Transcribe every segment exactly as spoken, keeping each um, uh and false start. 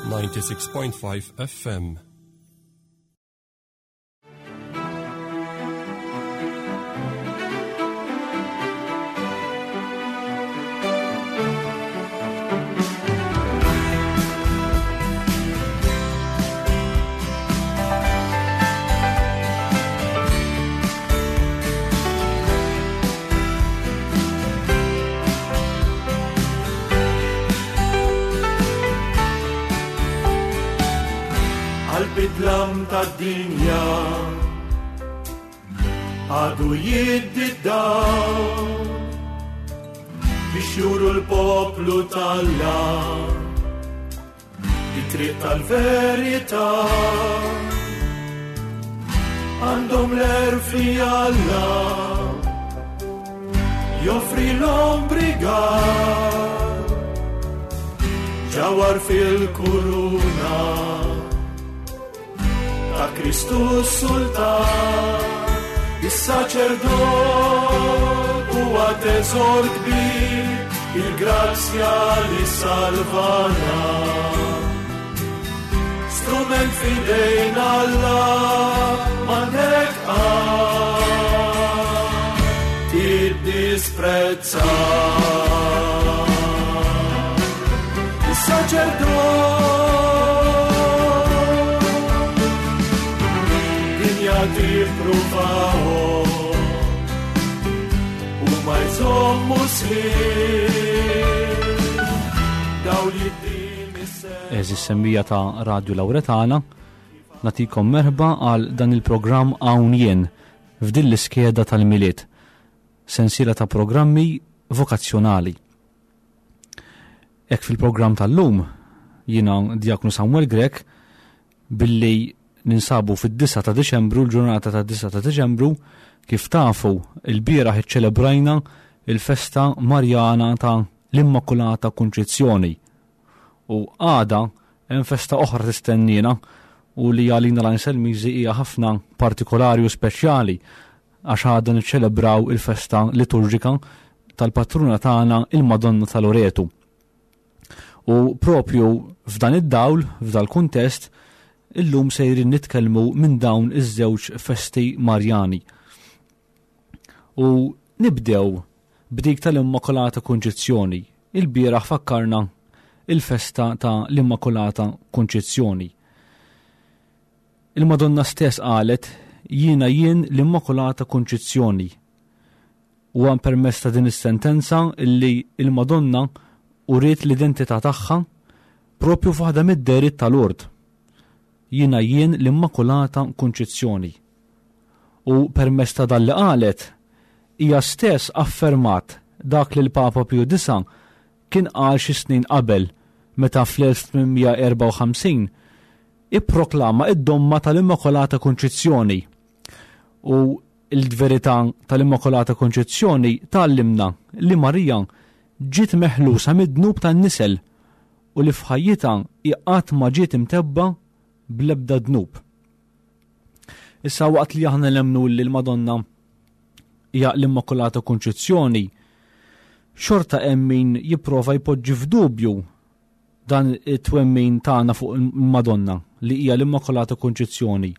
ninety-six point five F M. Bidlam tad-dinja għadu jiddi d-dawl biex juru l-poplu t'Alla it-triq tal-verità. Għandhom l-għerf li Alla joffri l-ombrigal ġawar fil-kuruna ta' Kristu Sultan. Is-saċerdot huwa teżor kbir, il-grazzja li salvana. Strument f'idejn Alla m'għandek qatt tiddisprezza. Is-saċerdot tippruvahom u ma jżommu sħiħ daw li din is-sena. Eżis semmija ta' Radio Lauretana, natikom merħba għal dan il-programm Hawn Jien f'din l-iskeda tal-Milied, sensiela ta' programmi vokazzjonali. Hekk fil-programm tal-lum jiena Djaknu Samuel Grech, billi ninsabu fid-disgħa ta' Diċembru, l-ġurnata ta' disgħa ta' Diċembru, kif tafu il-bieraħ iċċelebrajna il-festa Marjana ta' l-Immakulata Kunċizzjoni. U għada hemm festa oħra tistennina u li għalina l-Anselmiżi hija ħafna partikolari u speċjali, għax għada niċċelebraw il-festa liturġika tal-patruna tagħna il-Madonna ta' Loretu. U propju f'dan id-dawl, f'dal kuntest, illum sejrin nitkellmu minn dawn iż-żewġ festi Marjani. U nibdew b'dik tal-Immakulata Kunċizzjoni. Il-bieraħ fakkarna il-festa ta' l-Immakulata Kunċizzjoni. Il-Madonna stess qalet, Jiena jien l-Immakulata Kunċizzjoni. U għan permess ta' din is-sentenza illi il-Madonna uriet l-identità tagħha propju f'waħda mid-dehriet tal-Lourdes. Jiena jien l-Immakulata Kunċizzjoni. U permess ta' dan li qalet, hija stess affermat dak li l-Papa Pju Disa kien qal xi snin qabel meta fl-elf tmien mija erbgħa u ħamsin ipproklama id-domma tal-Immakulata Kunċizzjoni. U l-verità tal-Immakulata Kunċizzjoni tgħallimna li Marija ġiet meħlusa mid-dnub tan-nisel u li f'ħajjitha hi qatt ma ġiet imtebba bl-ebda dnub. Issa waqt li aħna nemmnu li l-Madonna hija l-Immakulata Kunċizzjoni, xorta hemm min jipprova jpoġġi f'dubju dan it-twemmin tagħna fuq il-Madonna li hija l-Immakulata Kunċizzjoni.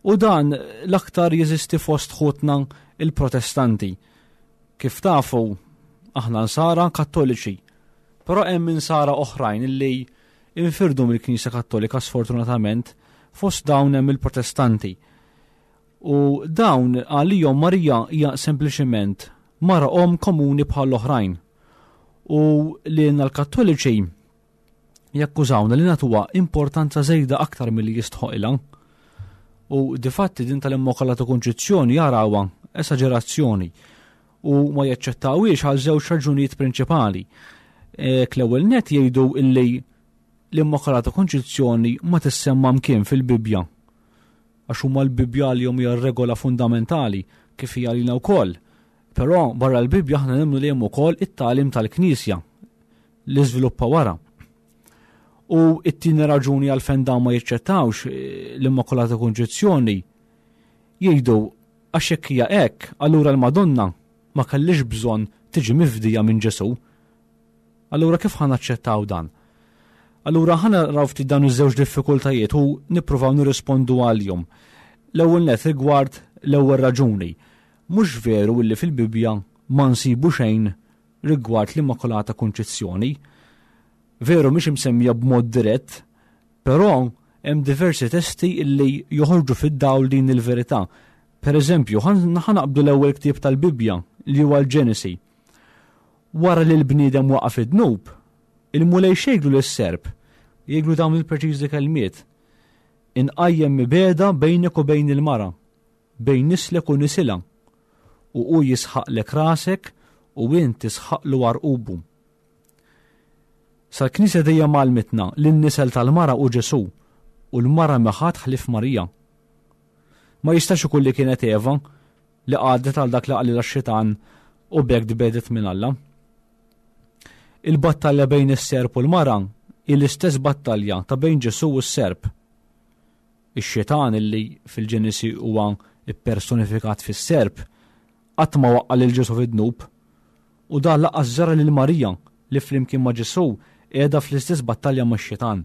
U dan l-aktar jeżisti fost ħutna il-Protestanti. Kif tafu, aħna nsara Kattoliċi, però hemm insara oħrajn illi infirdu mill-Knisja Kattolika sfortunatament, fost dawn hemm il-Protestanti. U dawn għalihom Marija hija sempliċement mara om komuni bħal oħrajn. U li l-Kattoliċi jakkużawna li nagħtuha importanza żejda aktar milli jistħoqilha. U difatti din tal-Immakulata Kunċizzjoni jarawha esaġerazzjoni u ma jaċċettawhiex għal żewġ raġunijiet prinċipali. E, l-ewwel net jgħidu illi l-Immakulata Kunċizzjoni ma tissemma mkien fil-Bibbja, għax huma l-Bibbja li hija regola fundamentali kif hija lilna wkoll. Però barra l-Bibbja aħna nemmnu li hemm ukoll it-tagħlim tal-Knisja li żviluppa wara. U t-tieni raġuni għalfejn dawn ma jiċċettawx, eh, l-Immakulata Kunċizzjoni, jgħidu għax jekk hija hekk, allura l-Madonna ma kellix bżonn tiġi mifdija minn Ġesù. Allura kif ħa naċċettaw dan? Allura ħa naraw ftit dawn iż-żewġ diffikultajiet u nippruvaw nirrispondu għalihom. L-ewwel net rigward l-ewwel raġuni. Mhux veru illi fil-Bibbja ma nsibu xejn rigward l-Immakulata Kunċizzjoni. Veru mhix imsemmija b'mod dirett, però hemm diversi testi illi joħorġu fid-dawl din il-verità. Per eżempju, ħa naqbdu l-ewwel ktieb tal-Bibbja li huwa l-Ġenesi. Wara li l-bniedem waqa' fid-dnub, il-Mulej x'jgħidlu lis-serp, jgħidlu dawn il-preċiżi kelmiet. Inqajjem mibegħda bejnek u bejn il-mara, bejn nislek u nisilha, u hu jisħaqlek rasek u int tisħaqlu għarqubu. Sal-Knisja dejjem għallmitna li n-nisel tal-mara hu Ġesù u l-mara mhi ħadd ħlief Marija. Ma jistax ikun li kienet Eva li qagħdet għal dak li qalilha x-xitan u b'hekk tbiegħdet minn Alla. Il-battalja bejn is-serp u l-mara hi l-istess battalja ta' bejn Ġesù u s-serp. Ix-xitan illi fil-Ġenesi huwa ippersonifikat fis-serp qatt ma waqqa' lil Ġesù fid-dnub u dan lanqas ġara lil Marija li flimkien ma' Ġesù qiegħda fl-istess battalja max-xitan.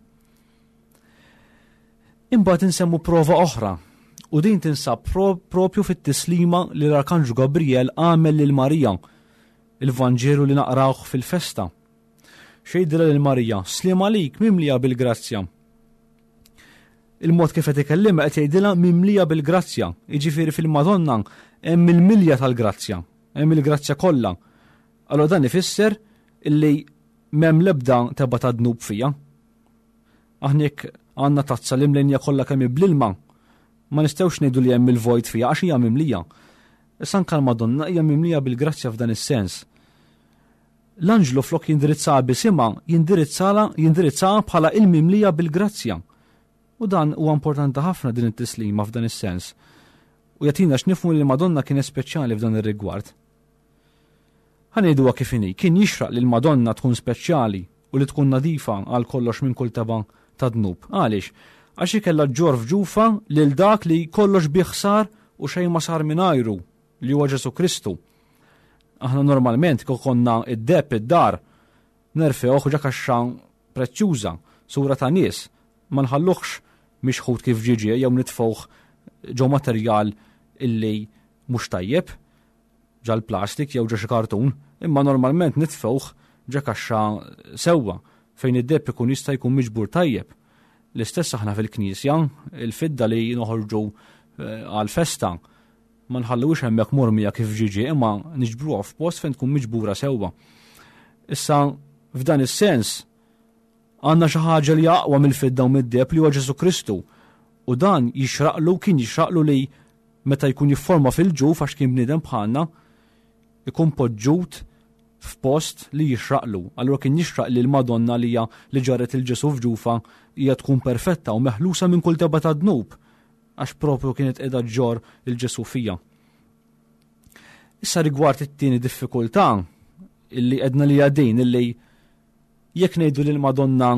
Imbagħad insemmu prova oħra u din tinsab propju fit-tislima li l-Arkanġlu Gabriel għamel lil Marija, il-Vanġelu li naqrawh fil-festa. X'jgħidilha lil Marija? Sliem għalik mimlija bil-grazzja. Il-mod kif qed ikellimha qed jgħidilha mimlija bil-grazzja, jiġifieri fil-Madonna hemm il-milja tal-grazzja, hemm il-grazzja kollha. Allora dan ifisser illi m'hemm l-ebda tebgħa ta' dnub fija. Aħna jekk għandna tazza li mlenja kollha kemm bl-ilma, ma nistgħux ngħidu li hemm il-vojt fija għax hija mimlija. Issa anke l-Madonna hija mimlija bil-grazzja f'dan is-sens. L-anġlu flok jindirizzaha b'isimha, jindirizzala, jindirizzaha bħala il-mimlija bil-grazzja. U dan huwa importanti ħafna din it-tislima f'dan is-sens. U jagħtina x'nifhmu li l-Madonna kienet speċjali f'dan ir-rigward. Ħa ngħiduha kif inhi, kien jixraq li l-Madonna tkun speċjali u li tkun nadifa għal kollox minn kull tebgħa ta' dnub. Għaliex? Għax hi kellha ġġorr f'ġufha lil dak li kollox bih sar u xejn ma sar mingħajru, li huwa Ġesù Kristu. Aħna normalment kieku konna id-deheb id-dar nerfewh ġo kaxxa prezzjuża, sura ta' nies, ma nħalluhx mixħut kif ġie jew nitfgħuh ġo materjal illi mhux tajjeb, ġal plastik jew ġo xi kartun, imma normalment nitfgħuh ġo kaxxa sewwa fejn id-deheb ikun jista' jkun miġbur tajjeb. L-istess aħna fil-knisja, il-fidda li noħorġu, eh, għal-festa, ma nħallux hemmhekk mormija kif ġie, imma niġbruha f'post fejn tkun miġbura sewwa. Issa f'dan is-sens għandna xi ħaġa li aqwa mill-fidda u mid-deheb li huwa Ġesù Kristu. U dan jixraqlu, kien jixraqlu li meta jkun jifforma fil-ġuf għax kien bniedem bħalna, ikun poġġut f'post li jixraqlu. Allura kien jixraq li l-Madonna li hija li ġarret il-Ġesù f'ġufha hija tkun perfetta u meħlusa minn kull tebgħa ta' dnub, għax propju kienet qiegħda ġġorr il-Ġesù fija. Issa rigward it-tieni diffikultà illi għedna li din illi jekk ngħidu li l-Madonna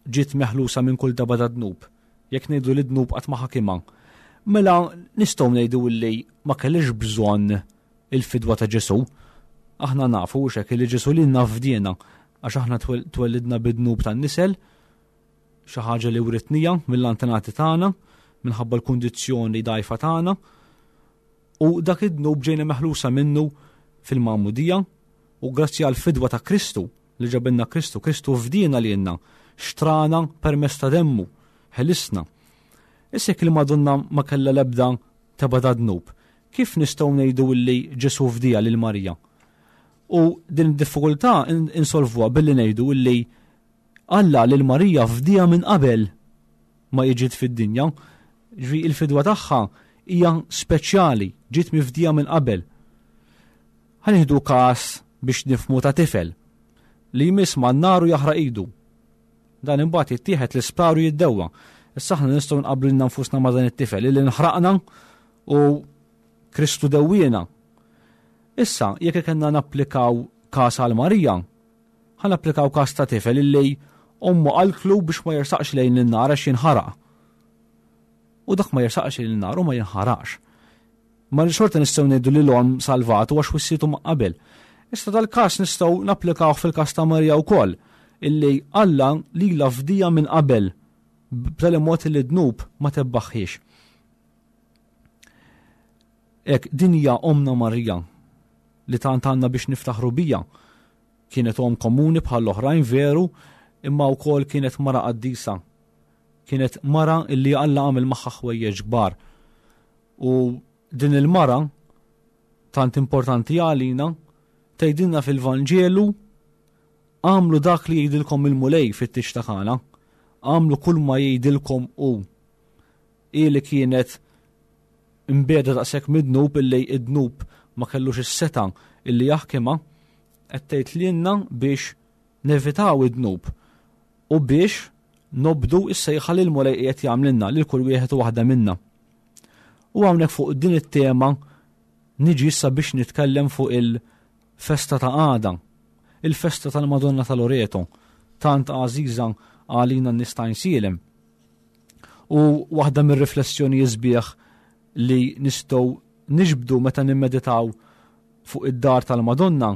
ġiet meħlusa minn kull tebgħa ta' dnub, jekk ngħidu li dnub qatt ma ħakimha, mela nistgħu ngħidu illi ma kellix bżonn il-fidwa ta' Ġesù. Aħna nafu u hekk li Ġesù lilna fdiena għax aħna twellidna bid-dnub tan-nisel, xi ħaġa li writnija mill-antenati tagħna minħabba l-kundizzjoni dgħajfa tagħna, u dak id-dnub ġejna meħlusa minnu fil-magħmudija, u grazzi għal fidwa ta' Kristu li ġabilna Kristu, Kristu fdiena lilna, xtrana permezz ta' demmu, ħelisna. Issa jekk il-Madonna ma kellha l-ebda tebgħa ta' dnub, kif nistgħu ngħidu li Ġesù fdija lil Marija? U din id-diffikultà insolvuha billi ngħidu li Alla lil Marija fdija minn qabel ma ġiet fid-dinja, ġifieri il-fidwa tagħha hija speċjali, ġiet mifdija minn qabel. Ħa nieħdu każ biex nifhmu ta' tifel li jmiss ma' naru jaħraq idu. Dan imbagħad jittieħed l-isptar u jiddewwa. Issa aħna nistgħu nqabblu lilna nfusna ma' dan it-tifel li nħraqna u Kristu dewwiena. Issa, jekk kellna napplikaw każ għal Marija, ħa napplikaw każ ta' tifel illi ommu qaltlu biex ma jersaqx lejn in-nar għax jinħaraq. U dak ma jersaqx lejn in-nar u ma jinħaraqx. Ma xorta nistgħu ngħidu li l-omm salvatu għax wissietu ma' qabel. Issa dal-każ nistgħu napplikawh fil-każ ta' Marija wkoll. illi Alla lilha fdieha minn qabel b'tali mod li d-dnub ma tebbaħħiex. Hekk din hija omna Marija li tant għandna biex niftaħru bija. Kienet om komuni bħal oħrajn veru, imma wkoll kienet mara qaddisa. Kienet mara illi Alla għamel magħha ħwejjeġ kbar. U din il-mara tant importanti għalina tgħidilna fil-Vanġelu għamlu dak li jgħidilkom il-Mulej fit-tieġ ta' Kana. Għamlu kull ma jgħidilkom hu. Hi li kienet imbiegħda daqshekk mid-dnub illi id-dnub ma kellux is-setgħa illi jaħkimha, qed tgħid lilna biex nevitaw id-dnub u biex nobdu is-sejħa li l-Mulej qiegħed jagħmlilna lil kull wieħed u waħda minna. U hawnhekk fuq din it-tema niġi issa biex nitkellem fuq il-festa ta' għada, il-festa tal-Madonna ta' Loreto, tant għażiża għalina n-nies ta' Għajnsielem. U waħda mir-riflessjoni sbieħ li nistgħu niġbdu meta nimmeditaw fuq id-dar tal-Madonna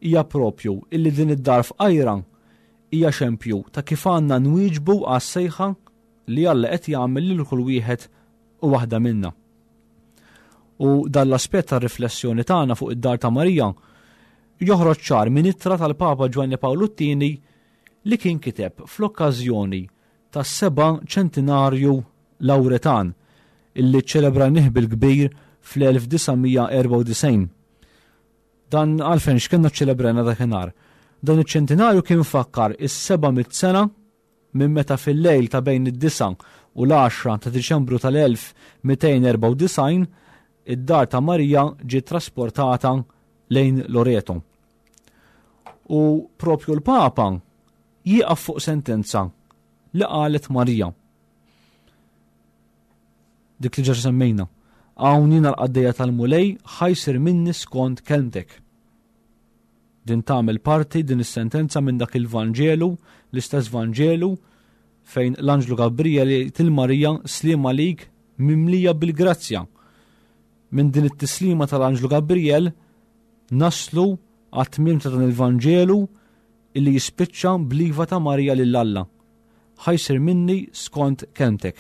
hija propju illi din id-dar fqajra hija xempju ta' kif għandna nwieġbu għas-sejħa li Alla qed jagħmel lil kull wieħed u waħda minna. U dan l-aspett tar-riflessjoni tagħna fuq id-dar ta' Marija joħroġ ċar minn ittra tal-Papa Ġwanni Pawlu t-tieni li kien kiteb fl-okkażjoni tas-seba' ċentinarju Lawretan illi ċċelebrajnih bil-kbir fl-elf disa' mija erbgħa u disgħin. Dan għalfejn x'kienna ċċelebrajna dakinhar? Dan iċ-ċentinarju kien fakkar is-seba' mitt sena minn meta fil-lejl ta' bejn id-disa' u l-għaxra ta' Diċembru tal-elf mitejn erbgħa u disgħin id-dar ta' Marija ġiet trasportata lejn Loreto. U propju l-Papa jieqaf fuq sentenza li qalet Marija. Dik li ġa semmejna. Hawn jiena l-qaddejja tal-Mulej ħajsir minni skont kelmtek. Din tagħmel parti din is-sentenza minn dak il-Vanġelu, l-istess Vanġelu fejn l-Anġlu Gabriel jgħid lil Marija sliem għalik mimlija bil-grazzja. Minn din it-tislima tal-Anġlu Gabriel naslu għat-tmiem ta' dan il-Vanġelu illi jispiċċa bl-iva ta' Marija lil Alla. Ħajsir minni skont kelmtek.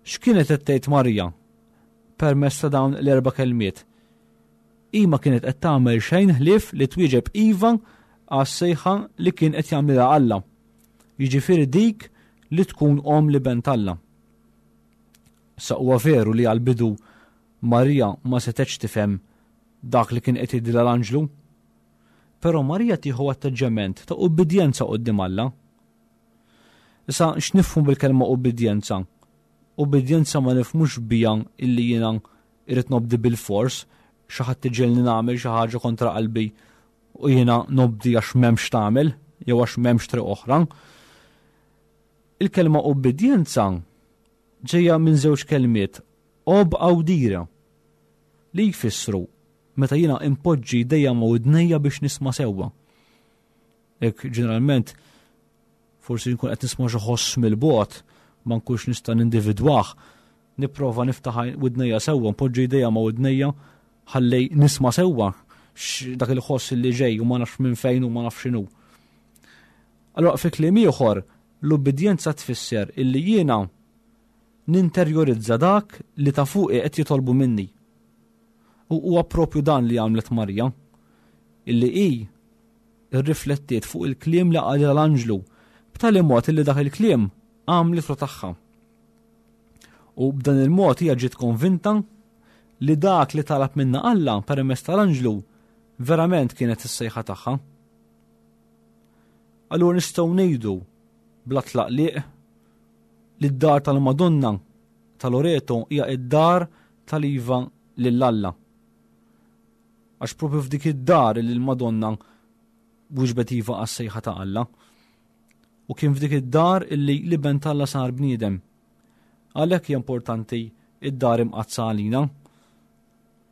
X'kienet qed tgħid Marija permezz ta' dawn l-erba' kelmiet? Hi ma kienet qed tagħmel xejn ħlief li twieġeb iva għas-sejħa li kien qed jagħmilha Alla. Jiġifieri dik li tkun om li bent Alla. Sa huwa veru li għall-bidu Marija ma setgħetx tifhem dak li kien qed jgħidilha l-anġlu. Però Marija tieħu atteġġjament ta' ubbidjenza quddiem Alla. Issa x'nifhmu bil-kelma ubbidjenza? Ubbidjenza ma nifhmux bija illi jiena irrid nobdi bil-fors, xi ħadd iġegħelni nagħmel xi ħaġa kontra qalbi u jiena nobdi għax m'hemmx tagħmel jew għax m'hemmx triq oħra. Il-kelma ubbidjenza ġejja minn żewġ kelmiet, ob audire, li jfissru meta jiena impoġġi jdejja ma' widnejja biex nisma' sewwa. Hekk ġeneralment forsi nkun qed nisma' xi ħoss mill-bogħod, ma nkunx nista' nindividwah, nipprova niftaħ widnejja sewwa, npoġġi jdejja ma' widnejja ħalli nisma' sewwa dak il-ħoss li ġej u ma nafx minn fejn u ma nafx x'inhu. Allora fi kliem ieħor, l-ubbidjenza tfisser illi jiena ninterjorizza dak li ta' fuqi qed jitolbu minni. U huwa propju dan li għamlet Marija, illi hi rriflettiet fuq il-kliem li qalha l-anġlu, b'tali mod illi dak il-kliem għamlet tagħha. U b'dan il-mod hija ġiet konvinta li dak li talab minna Alla permezz tal-anġlu verament kienet is-sejħa tagħha. Allura nistgħu ngħidu bla tlaqliq li d-dar tal-Madonna ta' Loreto hija id-dar tal-iva lil Alla. Għax propju f'dik id-dar li l-Madonna wieġbet iva għas-sejħa ta' Alla. U kien f'dik id-dar illi l-Iben t'Alla sar bniedem. Għalhekk hija importanti id-dar imqaddsa għalina.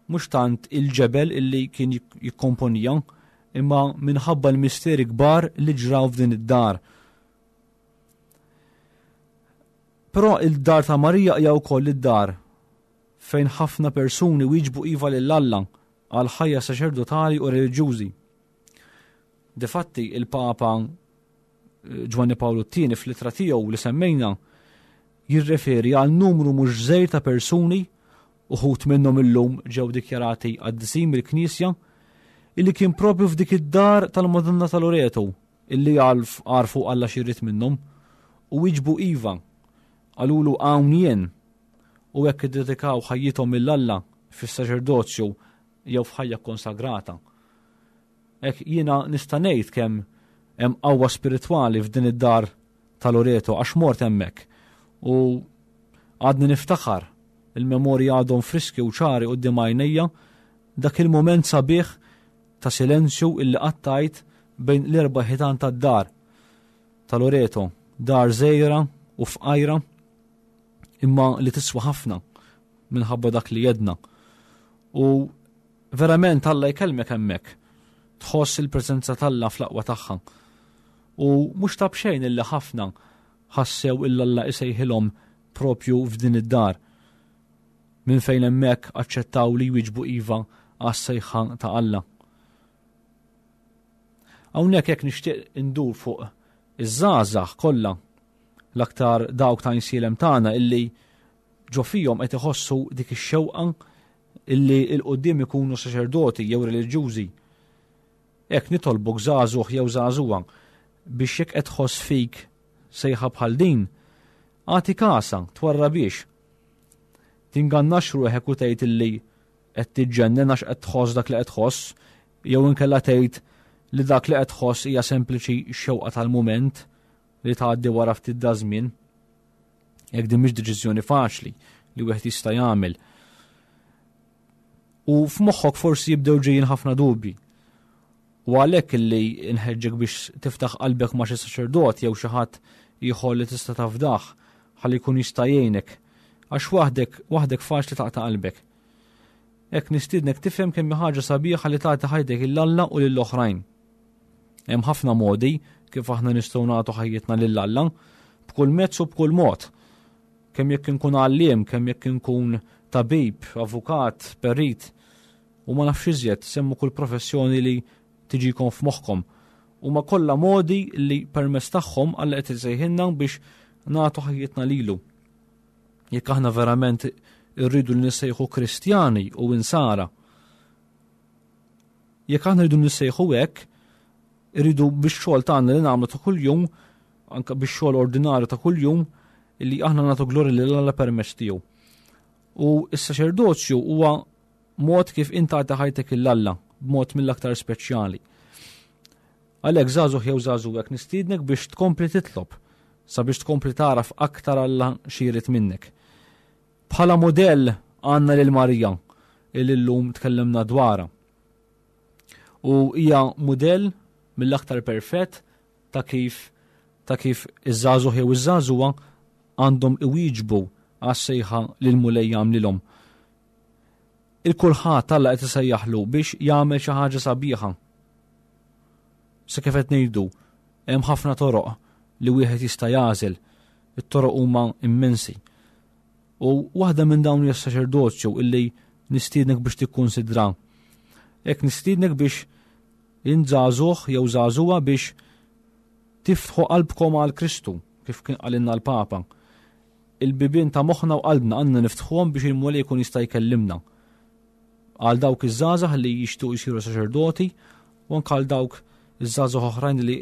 Mhux tant il-ġebel illi kien jik-, jikkomponija, imma minħabba l-misteri kbar li ġraw f'din id-dar. Però il-dar ta' Marija hija wkoll id-dar fejn ħafna persuni wieġbu iva lil Alla għal ħajja saċerdotali u reliġjużi. Difatti il-Papa Ġwanni Pawlu t-tieni fl-ittra tiegħu li semmejna jirreferi għal numru mhux żgħir ta' persuni, uħud minnhom illum ġew dikjarati qaddisin mill-Knisja, illi kien propju f'dik id-dar tal-Madonna ta' Loreto illi għarfu Alla x'irid minnhom u wieġbu iva, qalulu hawn jien, u hekk iddedikaw ħajjithom lil Alla fis-saċerdozju jew f'ħajja konsagrata. Hekk jiena nista' ngħid kemm hemm qawwa spiritwali f'din id-dar ta' Loreto għax mort hemmhekk u għadni niftaħar il-memorja għadhom friski u ċari quddiem għajnejja dak il-moment sabiħ ta' silenzju illi qattajt bejn l-erba' ħitan tad-dar ta' Loreto, dar żgħira u fqajra imma li tiswa ħafna minħabba dak li jedna. U verament Alla jkellmek hemmhekk, tħoss il-preżenza t'Alla fl-aqwa tagħha. U mhux ta' b'xejn illi ħafna ħassew illa Alla isejħilhom propju f'din id-dar, minn fejn hemmhekk aċċettaw li jwieġbu iva għas-sejħa ta' Alla. Hawnhekk jekk nixtieq indur fuq iż-żgħażagħ kollha, l-aktar dawk ta' insielem tagħna illi ġo fihom qed iħossu dik ix-xewqa illi l quddiem ikunu saċerdoti jew reliġjużi. Hekk nitolbok żagħżugħ jew żagħżugħa biex jekk qed tħoss fik sejħa bħal din, agħti kasha, twarrabiex. Tingannax ruħek u tgħid illi qed tiġġennen għax qed tħoss dak li qed tħoss, jew inkella tgħid li dak li qed tħoss hija sempliċi xewqa tal-mument li tgħaddi wara ftit da żmien. Jekk din mhix deċiżjoni faċli li wieħed jista' jagħmel. U f'moħħok forsi jibdew ġejjin ħafna dubji. U għalhekk illi nħeġġek biex tiftaħ qalbek ma' xi saċerdot jew xi ħadd ieħor li tista' tafdah ħalli jkun jista' jgħinek, għax waħdek, waħdek faċli taqta' qalbek. Hekk nistiednek tifhem kemm hi ħaġa sabiħa li tagħti ħajtek lil Alla u lil oħrajn. Hemm ħafna modi kif aħna nistgħu nagħtu ħajjitna lil Alla, b'kull mezz u b'kull mod. Kemm jekk inkun għalliem, kemm jekk inkun tabib, avukat, perit, u ma nafx iżjed, semmu kull professjoni li tiġikom f'moħħkom. Huma kollha modi li permezz tagħhom Alla qed isejħilna biex nagħtu ħajjitna lilu. Jekk aħna verament irridu li nissejħu Kristjani u insara, jekk aħna rridu nissejħu hekk, irridu biex xogħol tagħna li nagħmlu ta' kuljum, anke biex xogħol ordinarju ta' kuljum, illi aħna nagħtu glorja lil Alla permezz tiegħu. U s-saċerdozju huwa mod kif inti tagħti ħajtek lil Alla b'mod mill-aktar speċjali. Għalhekk żagħżugħ jew żagħżugħ nistiednek biex tkompli titlob sabiex tkompli tagħraf aktar Alla xi jrid minnek. Bħala modell għandna lil Marija illi llum tkellimna dwarha. U hija mudell mill-aktar perfett ta' kif ta' kif iż-żagħżugħ jew iż-żagħżugħa għandhom iwieġbu għas-sejħa li l-Mulej jagħmlilhom. Il-kulħadd Alla qed isejjaħlu biex jagħmel xi ħaġa sabiħa. Se kif qed ngħidu, hemm ħafna toroq li wieħed jista' jagħżel, it-toroq huma immensi. U waħda minn dawn hija s-saċerdozju illi nistiednek biex tikkunsidra. Hekk nistiednek biex inżagħżugħ jew żagħżugħa biex tiftħu qalbkom għal Kristu, kif kien qalilna l-Papa. Il-bibien ta' moħħna u qalbna għandna niftħuhom biex il-Mulej jkun jista' jkellimna. Għal dawk iż-żgħażagħ li jixtiequ jsiru saċerdoti u anke għal dawk iż-żgħażagħ oħrajn li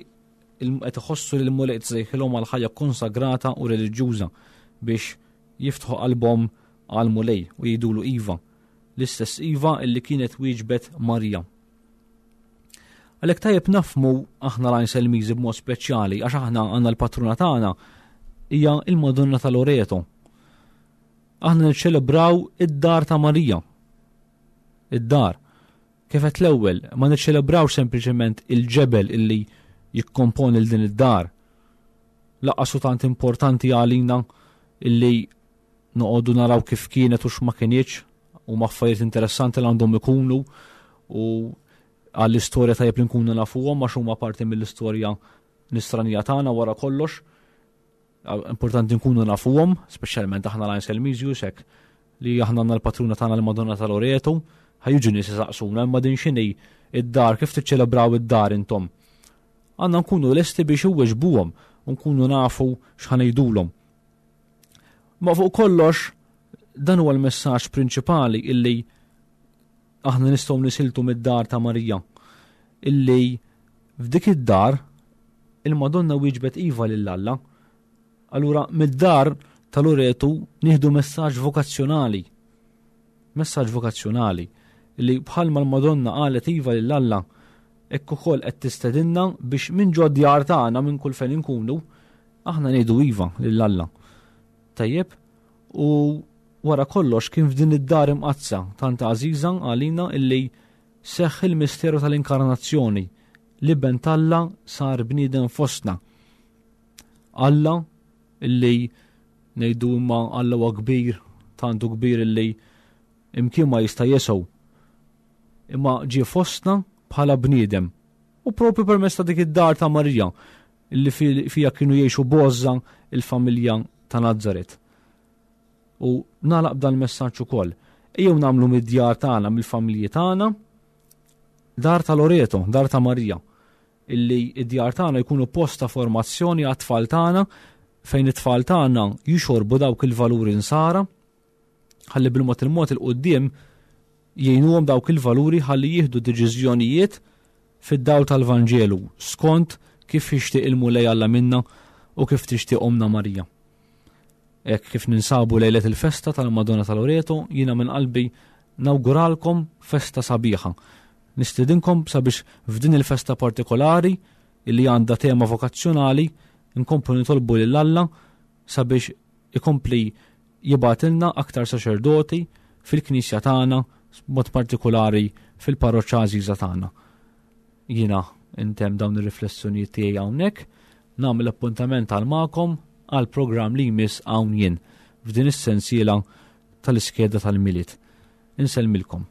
qed iħossu li l-Mulej qed isejħilhom għal ħajja konsagrata u reliġjuża biex jiftħu qalbhom għal Mulej u jgħidulu iva, l-istess iva illi kienet wieġbet Marija. Għalhekk tajjeb nafmu aħna l-Għajn Selmiżi b'mod speċjali għax aħna għandna l-patruna tagħna hija il-Madonna ta' Loreto. Aħna niċċelebraw id-dar ta' Marija. Id-dar. Kif qed l-ewwel, ma niċċelebrawx sempliċement il-ġebel illi jikkomponi l din id-dar. Lanqas hu tant importanti għalina illi noqogħdu naraw kif kienet u x'ma kinitx, u ma affarijiet interessanti li għandhom ikunu u għall-istorja tajjeb li nkunu nafuhom għax huma parti mill-istorja nisranija tagħna wara kollox. Importanti nkunu nafuhom, speċjalment aħna l-Għajn Selmiżius hekk li aħna għandna l-patruna tagħna l-Madonna ta' Loreto, ħa jiġu nies isaqsuna imma din x'inhi id-dar, kif tiċċelebraw id-dar intom? għandna nkunu lesti biex iweġbuhom u nkunu nafu x'ħa ngħidulhom. Ma fuq kollox, dan huwa l-messaġġ prinċipali illi aħna nistgħu nisiltu mid-dar ta' Marija, illi f'dik id-dar il-Madonna wieġbet iva lil Alla. Allura mid-dar ta' Loretu nieħdu messaġġ vokazzjonali. Messaġġ vokazzjonali li bħalma l-Madonna qalet iva lil Alla, hekk ukoll qed tistedinna biex minn ġod djar tagħna minn kull fejn inkunu aħna ngħidu iva lil Alla. Tajjeb, u wara kollox kien f'din id-dar imqaddsa tant għażiża għalina illi seħħ il-misteru tal-inkarnazzjoni, li ben t'Alla sar bniedem fostna. Alla illi ngħidu imma Alla huwa kbir, tantu kbir illi imkien ma jista' jesew, imma ġie fostna bħala bniedem. U propju permezz ta' dik id-dar ta' Marija illi fi-, fija kienu jgħixu boża il-familja ta' Nazaret. U nagħlaq b'dan il-messaġġ ukoll. Ejjew nagħmlu mid-djar tagħna, mill-familji tagħna, dar ta' Loreto, dar ta' Marija, illi id-djar tagħna jkunu post ta' formazzjoni għat-tfal tagħna, fejn it-tfal tagħna jixorbu dawk il-valuri nsara, ħalli bil-mod il-mod il-quddiem jgħinuhom dawk il-valuri ħalli jieħdu deċiżjonijiet fid-dawl tal-Vanġelu skont kif jixtieq il-Mulej Alla minna u kif tixtieq Omna Marija. Hekk kif ninsabu lejlet il-festa tal-Madonna ta' Loreto, jiena minn qalbi nawguralkom festa sabiħa. Nistedinkom sabiex f'din il-festa partikolari illi għandha tema vokazzjonali nkomplu nitolbu lil Alla sabiex ikompli jibgħatilna aktar saċerdoti fil-knisja tagħna, b'mod partikolari fil-parroċċa għażiża tagħna. Jiena intemm dawn ir-riflessjonijiet tiegħi hawnhekk, nagħmel appuntament għal magħkom għal programm li jmiss hawn jien f'din is-sensiela tal-iskeda tal-Milied. Insellmilkom.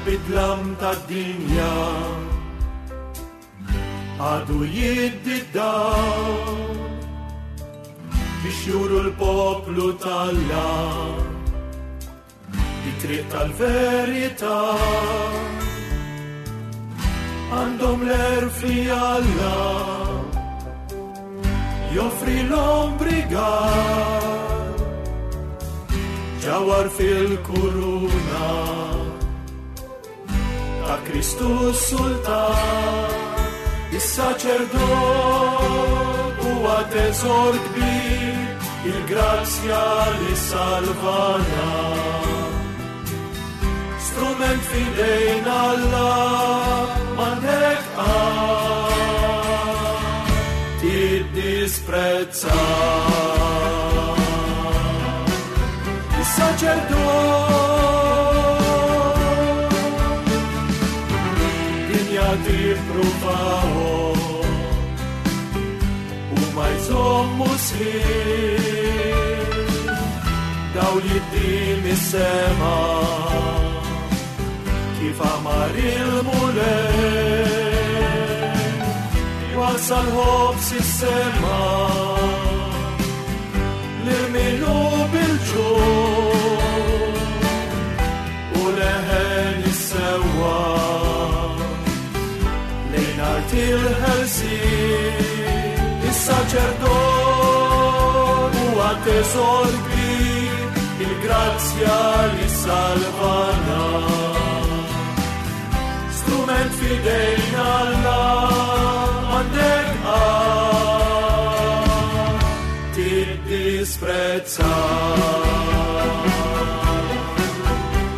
Bidlam tad-dinja għadu jiddi d-dawl biex juru l-poplu t'Alla it-triq tal-verità. Għandhom l-għerf li Alla joffri l-ombrigal ġawhar fil-kuruna ta' Kristu Sultan. Is-saċerdot huwa teżor kbir, il-grazzja li salvana. Strument f'idejn Alla m'għandek qatt tiddisprezza. Is-saċerdot tippruvaw u ma jżommu sħiħ dawl jiddi mis-sema kif amar il-Mulej wasal ħobż is-sema lil min hu bil-ġuħ u leħen is-sewwa art il-ħelsien. Is-saċerdot huwa teżor kbir, il-grazzja li salvana. Strument f'idejn Alla m'għandek qatt tiddisprezza.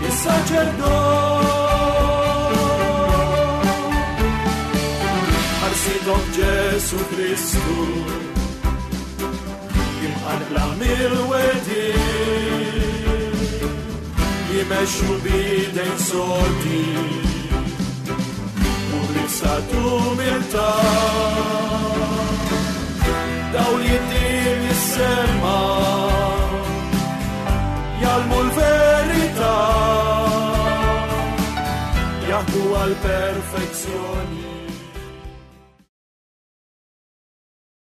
Is-saċerdot Ġesu Kristu, imqanqla mill-wedin, jimexxu bidejn sodi, u b'libsa t'umiltà. Dawl jiddi mis-sema, jgħallmu l-verità, jaħdmu għal-perfezzjoni.